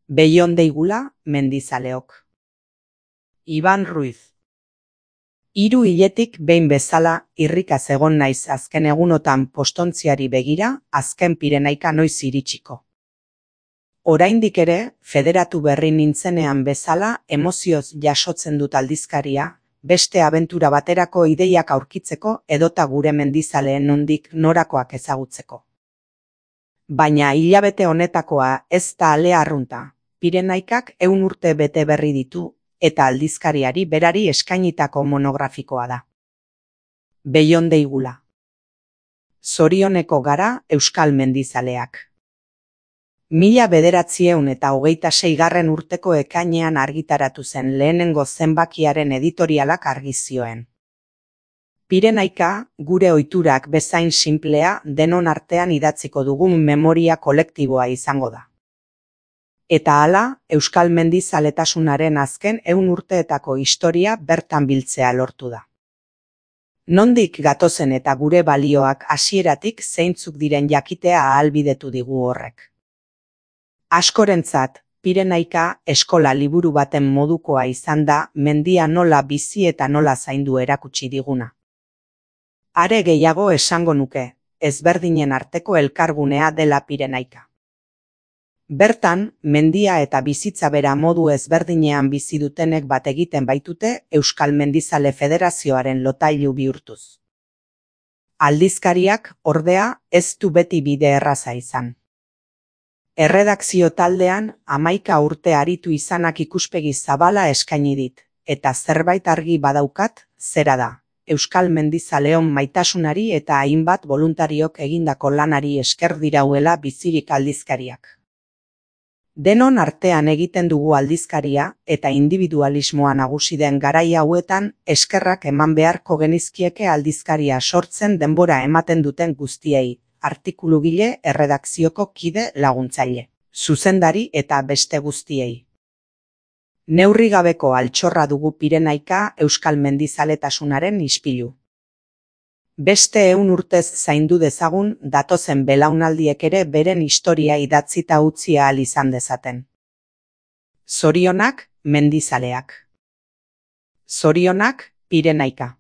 Beion deigula mendizaleok. Iban Ruiz. 3 hiletik behin bezala irrikaz egon naiz azken egunotan postontziari begira, azken Pirenaika noiz iritsiko. Oraindik ere, federatu berri nintzenean bezala emozioz jasotzen dut aldizkaria, beste abentura baterako ideiak aurkitzeko edota gure mendizaleen nondik norakoak ezagutzeko. Baina hilabete honetakoa ez da ale arrunta. Pirenaikak 100 urte bete berri ditu, eta aldizkariari berari eskainitako monografikoa da. Beion deigula. Zorioneko gara euskal mendizaleak. 1926 urteko ekainean argitaratu zen lehenengo zenbakiaren editorialak argi zioen. Pirenaika, gure ohiturak bezain sinplea, denon artean idatziko dugun memoria kolektiboa izango da. Eta hala, euskal mendizaletasunaren azken 100 urteetako historia bertan biltzea lortu da. Nondik gatozen eta gure balioak hasieratik zeintzuk diren jakitea ahalbidetu digu horrek. Askorentzat, Pirenaika eskola liburu baten modukoa izan da mendia nola bizi eta nola zaindu erakutsi diguna. Are gehiago esango nuke, ezberdinen arteko elkargunea dela Pirenaika. Bertan, mendia eta bizitza bera modu ezberdinean bizi dutenek bat egiten baitute Euskal Mendizale Federazioaren lotailu bihurtuz. Aldizkariak, ordea, ez du beti bide erraza izan. Erredakzio taldean 11 urte aritu izanak ikuspegi zabala eskaini dit, eta zerbait argi badaukat, zera da. Euskal mendizaleon maitasunari eta hainbat boluntariok egindako lanari esker dirauela bizirik aldizkariak. Denon artean egiten dugu aldizkaria eta individualismoa nagusi den garai hauetan eskerrak eman beharko genizkieke aldizkaria sortzen denbora ematen duten guztiei, artikulugile, erredakzioko kide laguntzaile, zuzendari eta beste guztiei. Neurrigabeko altxorra dugu Pirenaika euskal mendizaletasunaren ispilu. Beste 100 urtez zaindu dezagun datozen belaunaldiek ere beren historia idatzita utzi ahal izan dezaten. Zorionak mendizaleak. Zorionak Pirenaika.